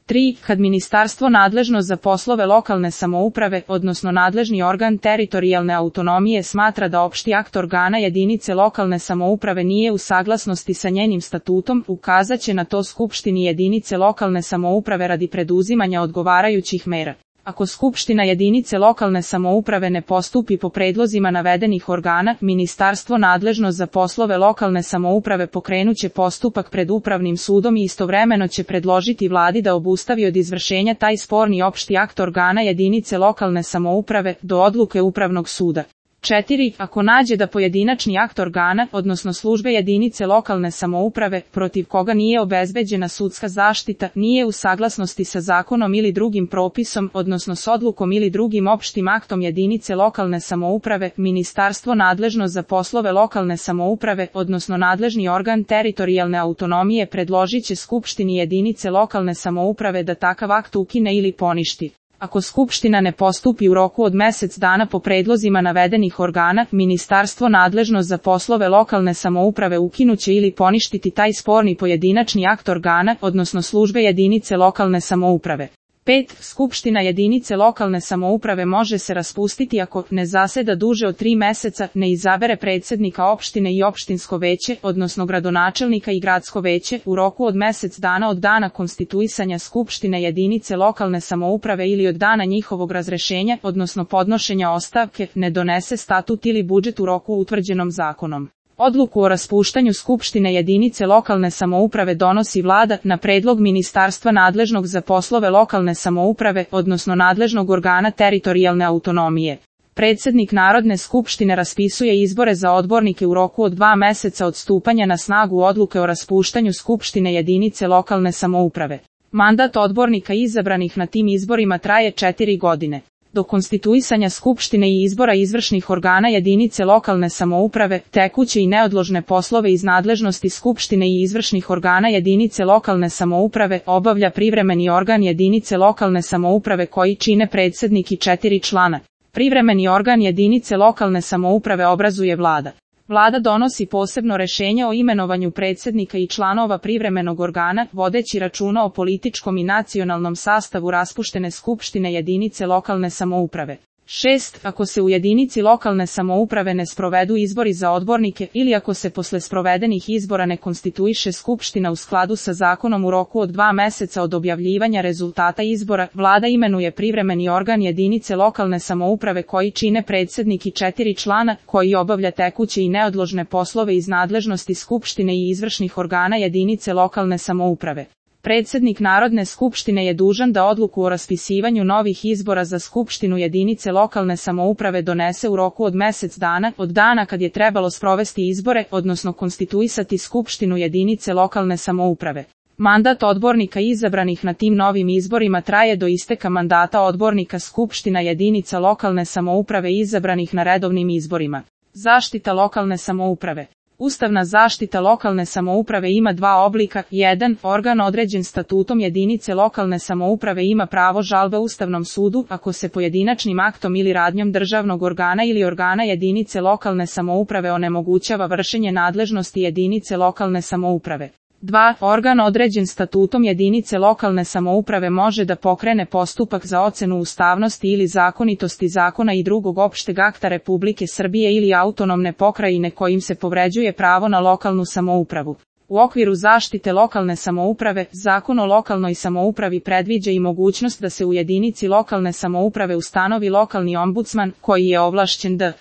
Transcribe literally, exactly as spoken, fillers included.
tri. Kad ministarstvo nadležno za poslove lokalne samouprave, odnosno nadležni organ teritorijalne autonomije smatra da opšti akt organa jedinice lokalne samouprave nije u saglasnosti sa njenim statutom, ukazat će na to skupštini jedinice lokalne samouprave radi preduzimanja odgovarajućih mera. Ako skupština jedinice lokalne samouprave ne postupi po predlozima navedenih organa, ministarstvo nadležno za poslove lokalne samouprave pokrenuće postupak pred upravnim sudom i istovremeno će predložiti vladi da obustavi od izvršenja taj sporni opšti akt organa jedinice lokalne samouprave do odluke upravnog suda. četiri. Ako nađe da pojedinačni akt organa, odnosno službe jedinice lokalne samouprave, protiv koga nije obezbeđena sudska zaštita, nije u saglasnosti sa zakonom ili drugim propisom, odnosno s odlukom ili drugim opštim aktom jedinice lokalne samouprave, ministarstvo nadležno za poslove lokalne samouprave, odnosno nadležni organ teritorijalne autonomije predložit će skupštini jedinice lokalne samouprave da takav akt ukine ili poništi. Ako skupština ne postupi u roku od mesec dana po predlozima navedenih organa, ministarstvo nadležno za poslove lokalne samouprave ukinuće ili poništiti taj sporni pojedinačni akt organa, odnosno službe jedinice lokalne samouprave. pet. Skupština jedinice lokalne samouprave može se raspustiti ako ne zaseda duže od tri meseca, ne izabere predsednika opštine i opštinsko veće, odnosno gradonačelnika i gradsko veće, u roku od mesec dana od dana konstituisanja skupštine jedinice lokalne samouprave ili od dana njihovog razrešenja, odnosno podnošenja ostavke, ne donese statut ili budžet u roku utvrđenom zakonom. Odluku o raspuštanju skupštine jedinice lokalne samouprave donosi vlada na predlog ministarstva nadležnog za poslove lokalne samouprave, odnosno nadležnog organa teritorijalne autonomije. Predsednik Narodne skupštine raspisuje izbore za odbornike u roku od dva meseca od stupanja na snagu odluke o raspuštanju skupštine jedinice lokalne samouprave. Mandat odbornika izabranih na tim izborima traje četiri godine. Do konstituisanja skupštine i izbora izvršnih organa jedinice lokalne samouprave, tekuće i neodložne poslove iz nadležnosti skupštine i izvršnih organa jedinice lokalne samouprave obavlja privremeni organ jedinice lokalne samouprave koji čine predsednik i četiri člana. Privremeni organ jedinice lokalne samouprave obrazuje vlada. Vlada donosi posebno rešenje o imenovanju predsednika i članova privremenog organa, vodeći računa o političkom i nacionalnom sastavu raspuštene skupštine jedinice lokalne samouprave. šest. Ako se u jedinici lokalne samouprave ne sprovedu izbori za odbornike ili ako se posle sprovedenih izbora ne konstituiše skupština u skladu sa zakonom u roku od dva meseca od objavljivanja rezultata izbora, vlada imenuje privremeni organ jedinice lokalne samouprave koji čine predsednik i četiri člana, koji obavlja tekuće i neodložne poslove iz nadležnosti skupštine i izvršnih organa jedinice lokalne samouprave. Predsednik Narodne skupštine je dužan da odluku o raspisivanju novih izbora za skupštinu jedinice lokalne samouprave donese u roku od mesec dana od dana kad je trebalo sprovesti izbore, odnosno konstituisati skupštinu jedinice lokalne samouprave. Mandat odbornika izabranih na tim novim izborima traje do isteka mandata odbornika skupština jedinica lokalne samouprave izabranih na redovnim izborima. Zaštita lokalne samouprave. Ustavna zaštita lokalne samouprave ima dva oblika. jedan. Organ određen statutom jedinice lokalne samouprave ima pravo žalbe Ustavnom sudu ako se pojedinačnim aktom ili radnjom državnog organa ili organa jedinice lokalne samouprave onemogućava vršenje nadležnosti jedinice lokalne samouprave. dva. Organ određen statutom jedinice lokalne samouprave može da pokrene postupak za ocenu ustavnosti ili zakonitosti zakona i drugog opšteg akta Republike Srbije ili autonomne pokrajine kojim se povređuje pravo na lokalnu samoupravu. U okviru zaštite lokalne samouprave, Zakon o lokalnoj samoupravi predviđa i mogućnost da se u jedinici lokalne samouprave ustanovi lokalni ombudsman, koji je ovlašćen da